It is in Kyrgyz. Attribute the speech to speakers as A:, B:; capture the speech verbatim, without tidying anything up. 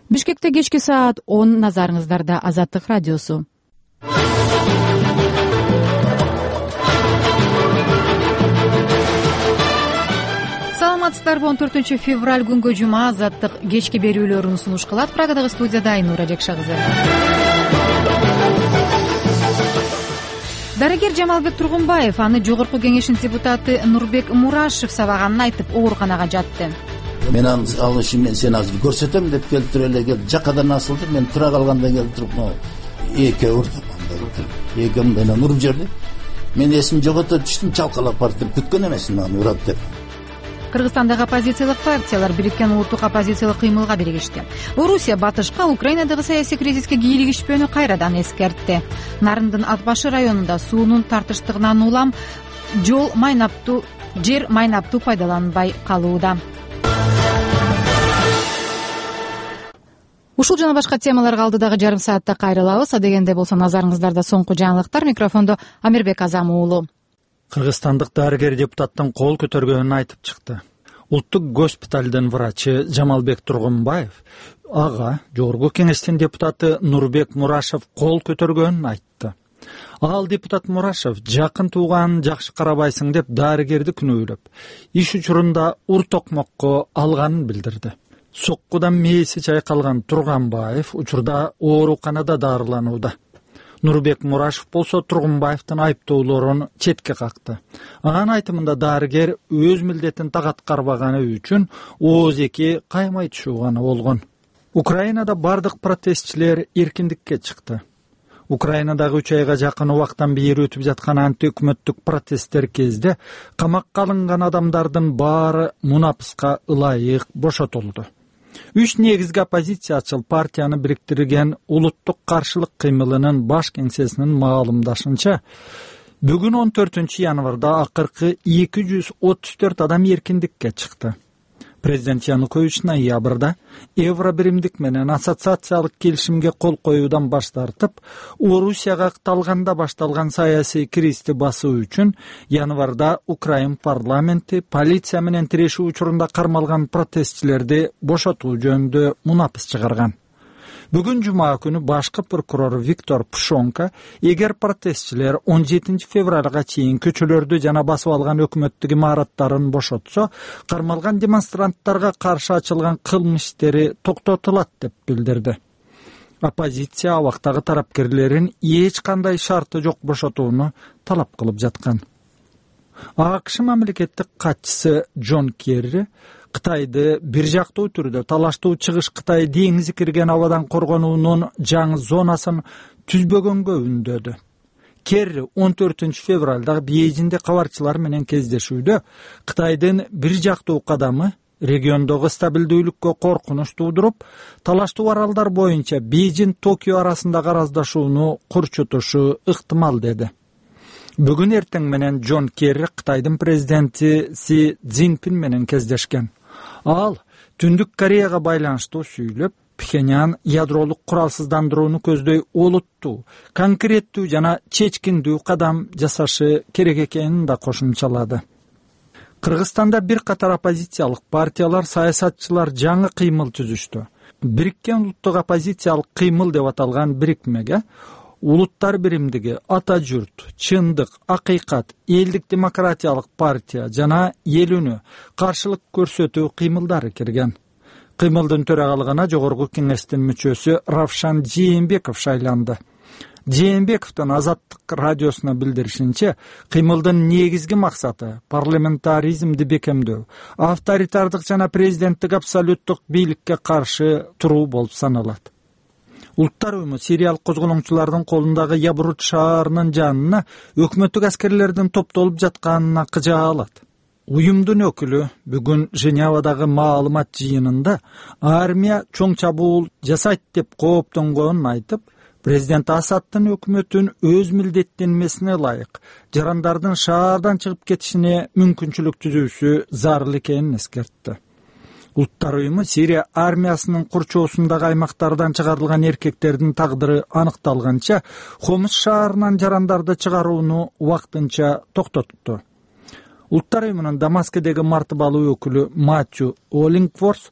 A: Бишкекте кечки саат он, назарыңыздарда Азаттык радиосу. Саламатсыздарбы? он төртүнчү февраль күнгө жума Азаттык кечки берүүлөрүн сунуш кылат. Прагадагы студияда Айнура Жекша кызы. Дарыгер Жамалбек Тургунбаев аны жогорку кеңештин депутаты Нурбек Мурашев сабаганын айтып, ооруканага жатты.
B: Мен ал ишин мен сени азыр көрсөтөм деп келтире эле кел. Жакадан асылды. Мен тура калганда келип туруп, эке урдум. Эки менен уруп жиберди. Мен эсим жогото түштүм, чалкалап барып деп күткөн эмесмин аны урат деп.
A: Кыргызстандагы оппозициялык партиялар бириккен улуттук оппозициялык кыймылга биригишти. Орусия батышка Украинадагы саясий кризиске кийлигишпөөнү кайрадан эскертти. Нарындын ат башы районунда суунун тартыштыгынан улам жол майнаптуу жер майнаптуу пайдаланбай калууда. Ушул жана башка темаларга алдыдагы жарым саатта кайрылабыз. Адегенде болсо назарыңыздарда соңку жаңылыктар. Микрофондо Амирбек Азам уулу.
C: Кыргызстандык дарыгер депутаттын кол көтөргөнүн айтып чыкты. Улуттук госпиталдын врачы Жамалбек Тургунбаев ага жогорку кеңештин депутаты Нурбек Мурашев кол көтөргөнүн айтты. Ал депутат Мурашев жакын тууганын жакшы карабайсың деп дарыгерди күнөөлөп, иш учурунда ур токмокко алганын билдирди. Соккудан мээси чайкалган Тургунбаев учурда ооруканада дарыланууда. Нурбек Мурашев болсо Тургунбаевдин айыптоолорун четке какты. Анын айтымында дарыгер өз милдетин так аткарбаганы үчүн ооз-эки каймай түшүүганы болгон. Украинада бардык протестчилер эркиндикке чыкты. Украинадагы үч айга жакын убактан бери өтүп жаткан антиөкмөттүк протесттер кезде камакка алынган адамдардын баары мунапыска ылайык бошотулду. Үч негизги оппозициячыл партияны бириктирген улуттук каршылык кыймылынын баш кеңсесинин маалымдашынча, бүгүн он төртүнчү январда акыркы эки жүз отуз төрт адам эркиндикке чыкты. Президент Янукович ноябрда евро биримдик менен ассоциациялык келишимге кол коюудан баш тартып, Орусияга катталганда башталган саясий кризисти басуу үчүн январда Украин парламенти полиция менен тирешүү учурунда кармалган протестчилерди бошотуу жөнүндө мунапыс чыгарган. Бүгүн жума күнү башкы прокурор Виктор Пшонка эгер протестчилер он жетинчи февралга чейин көчөлөрдү жана басып алган өкмөттүк имараттарын бошотсо, кармалган демонстранттарга каршы ачылган кылмыш иштери токтотулат деп билдирди. Оппозиция абактагы тарапкерлерин эч кандай шарты жок бошотууну талап кылып жаткан. АКШ мамлекеттик катчысы Джон Керри Кытайды бир жактуу түрдө талаштуу чыгыш Кытай деңизи кирген абадан коргонуунун жаңы зонасын түзбөгөнгө үндөдү. Керри он төртүнчү февралда Бейжиңде кабарчылар менен кездешүүдө Кытайдын бир жактуу кадамы региондогу стабилдүүлүккө коркунуч туудуруп, талаштуу аралдар боюнча Бейжиң Токио арасындагы араздашууну курчутушу ыктымал деди. Бүгүн эртең менен Джон Керри Кытайдын президенти Си Цзиньпин менен кездешкен. Ал Түндүк Кореяга байланыштуу сүйлөп, Пхеньян ядролук куралсыздандырууну көздөй олуттуу, конкреттүү жана чечкиндүү кадам жасашы керек экенин да кошумчалады. Кыргызстанда бир катар оппозициялык партиялар, саясатчылар жаңы кыймыл түзүштү. Бириккен улуттук оппозициялык кыймыл деп аталган бирикмеге Улуттар биримдиги, Ата журт, Чындык, Акыйкат, Элдик демократиялык партия жана Эл үнү каршылык көрсөтүү кыймылдары кирген. Кыймылдын төрагалыгына жогорку кеңештин мүчөсү Равшан Жээнбеков шайланды. Жээнбековдун Азаттык радиосуна билдиришинче, кыймылдын негизги максаты парламентаризмди бекемдөө, авторитардык жана президенттик абсолюттук бийликке каршы туруу болуп саналат. Улуттар уюму сириялык козголоңчулардын колундагы Ябрут шаарынын жанына өкмөттүк аскерлердин топтолуп жатканына кыжа алат. Уюмдун өкүлү бүгүн Женевадагы маалымат жыйынында армия чоң чабуул жасайт деп кооптонгонун айтып, президент Асадтын өкмөтүн өз милдеттенмесине ылайык жарандардын шаардан чыгып кетишине мүмкүнчүлүк түзүүсү зарыл экенин эскертти. Улуттар уюму Сирия армиясынын курчоосундагы аймактардан чыгарылган эркектердин тагдыры аныкталганча Хомс шаарынан жарандарды чыгарууну убактынча токтотту. Улуттар уюмунун Дамаскедеги мартыбалуу өкүлү Матью Оллингворс